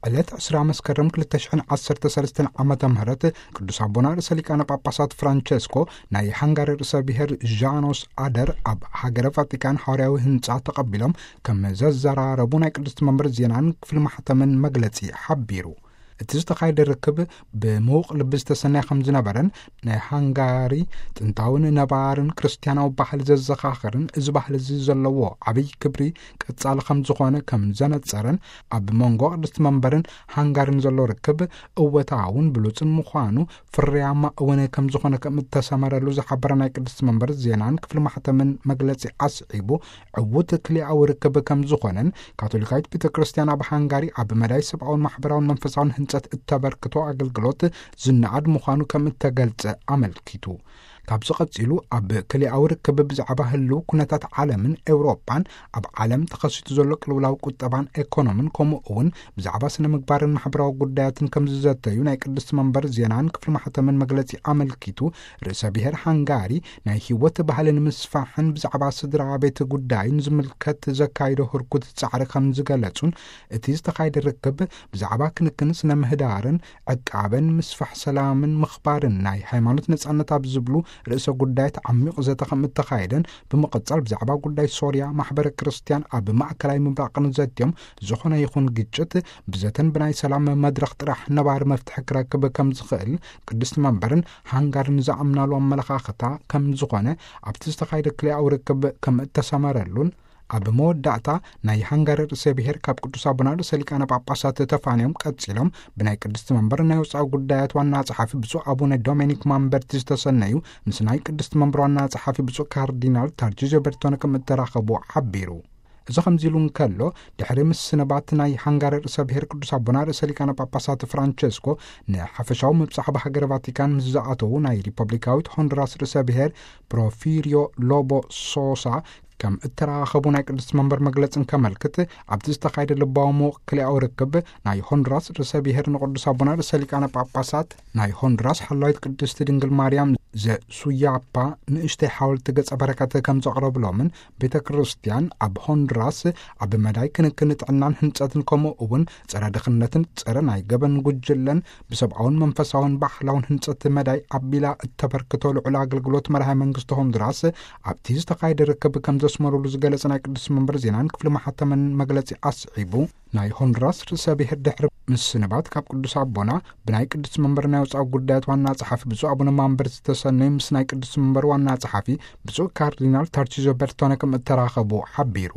ዕለት ዕስራ መስከረም ክልተ ሽሕን ዓሰርተ ሰለስተን ዓመተ ምህረት ቅዱስ ኣቦና ርእሰ ሊቃነ ጳጳሳት ፍራንቸስኮ ናይ ሃንጋሪ ርእሰ ብሔር ዣኖስ ኣደር ኣብ ሃገረ ቫቲካን ሓዋርያዊ ህንጻ ተቐቢሎም ከም ዘዘራረቡ ናይ ቅድስቲ መንበር ዜናን ክፍሊ ማሕተምን መግለጺ ሓቢሩ። እቲ ዝተኻየደ ርክብ ብምዉቕ ልቢ ዝተሰነየ ከም ዝነበረን ናይ ሃንጋሪ ጥንታውን ነባርን ክርስትያናዊ ባህሊ ዘዘኻኽርን እዚ ባህሊ እዚ ዘለዎ ዓብይ ክብሪ ቀጻሊ ከም ዝኾነ ከም ዘነጸረን ኣብ መንጎ ቅድስቲ መንበርን ሃንጋርን ዘሎ ርክብ እወታውን ብሉጽን ምዃኑ ፍርያማ እውን ከም ዝኾነ ከም እተሰመረሉ ዝሓበረ ናይ ቅድስቲ መንበር ዜናን ክፍሊ ማሕተምን መግለጺ ኣስዒቡ ዕዉት ክልኣዊ ርክብ ከም ዝኾነን ካቶሊካዊት ቤተ ክርስቲያን ኣብ ሃንጋሪ ኣብ መዳይ ሰብኣውን ማሕበራውን መንፈሳውን ህንጸት እተበርክቶ ኣገልግሎት ዝነኣድ ምዃኑ ከም እተገልጸ ኣመልኪቱ። ካብዚ ቀጺሉ ኣብ ክልኣዊ ርክብ ብዛዕባ ህልው ኩነታት ዓለምን ኤውሮጳን ኣብ ዓለም ተኸሲቱ ዘሎ ቅልውላው ቁጠባን ኤኮኖምን ከምኡ እውን ብዛዕባ ስነ ምግባርን ማሕበራዊ ጉዳያትን ከም ዝዘተዩ ናይ ቅድስቲ መንበር ዜናን ክፍሊ ማሕተምን መግለጺ ኣመልኪቱ ርእሰ ብሔር ሃንጋሪ ናይ ህይወት ባህልን ምስፋሕን ብዛዕባ ስድራ ቤት ጉዳይን ዝምልከት ዘካይዶ ህርኩት ጻዕሪ ከም ዝገለጹን እቲ ዝተኻየደ ርክብ ብዛዕባ ክንክን ስነ ምህዳርን ዕቃበን ምስፋሕ ሰላምን ምኽባርን ናይ ሃይማኖት ነጻነት ኣብ ዝብሉ ርእሰ ጉዳያት ዓሚቕ ዘተ ከም እተኻየደን ብምቕጻል ብዛዕባ ጉዳይ ሶርያ ማሕበረ ክርስትያን ኣብ ማእከላይ ምብራቕን ዘትዮም ዝኾነ ይኹን ግጭት ብዘተን ብናይ ሰላም መድረኽ ጥራሕ ነባሪ መፍትሒ ክረክብ ከም ዝኽእል ቅድስቲ መንበርን ሃንጋርን ዝኣምናሉ ኣመለኻኽታ ከም ዝኾነ ኣብቲ ዝተኻየደ ክልኣዊ ርክብ ከም እተሰመረሉን ኣብ መወዳእታ ናይ ሃንጋሪ ርእሰ ብሔር ካብ ቅዱስ ኣቦና ርእሰ ሊቃነ ጳጳሳት ተፋንዮም ቀጺሎም ብናይ ቅድስቲ መንበር ናይ ወፃኢ ጉዳያት ዋና ጸሓፊ ብፁዕ ኣቡነ ዶሚኒክ ማምበርቲ ዝተሰነዩ ምስ ናይ ቅድስቲ መንበር ዋና ጸሓፊ ብፁዕ ካርዲናል ታርቺዞ በርቶነ ከም እተራኸቡ ሓቢሩ። እዚ ከምዚ ኢሉ እንከሎ ድሕሪ ምስንባት ናይ ሃንጋሪ ርእሰ ብሔር ቅዱስ ኣቦና ርእሰ ሊቃነ ጳጳሳት ፍራንቸስኮ ንሓፈሻዊ ምብጻሕ ብሃገረ ቫቲካን ምስ ዝኣተዉ ናይ ሪፐብሊካዊት ሆንዱራስ ርእሰ ብሔር ፕሮፊሪዮ ሎቦ ሶሳ ከም እተራኸቡ ናይ ቅድስቲ መንበር መግለጽ እንከመልክት ኣብቲ ዝተኻየደ ልባዊ ምውቕ ክልኣዊ ርክብ ናይ ሆንዱራስ ርእሰ ብሔር ንቅዱስ ኣቦና ርእሰ ሊቃነ ጳጳሳት ናይ ሆንዱራስ ሓላዊት ቅድስቲ ድንግል ማርያም ዘሱያፓ ንእሽተይ ሓወልቲ ገጸ በረከት ከም ዘቕረብሎምን ቤተ ክርስቲያን ኣብ ሆንዱራስ ኣብ መዳይ ክንክን ጥዕናን ህንጸትን ከምኡ እውን ጸረ ድኽነትን ጸረ ናይ ገበን ጉጅለን ብሰብኣውን መንፈሳውን ባህላውን ህንጸት መዳይ ኣቢላ እተበርክቶ ልዑል ኣገልግሎት መርሃ መንግስቲ ሆንዱራስ ኣብቲ ዝተኻየደ ርክብ ከም ዘስመሩሉ ዝገለጸ ናይ ቅዱስ መንበር ዜናን ክፍሊ ማሕተምን መግለጺ ኣስዒቡ ናይ ሆንዱራስ ርእሰ ብሔር ድሕሪ ምስንባት ካብ ቅዱስ ኣቦና ብናይ ቅዱስ መንበር ናይ ወፃኢ ጉዳያት ዋና ጸሓፊ ብፁዕ ኣቡነ ማምበር ዝተሰነዩ ምስ ናይ ቅዱስ መንበር ዋና ጸሓፊ ብፁዕ ካርዲናል ታርቺዞ በርቶነ ከም እተራኸቡ ሓቢሩ።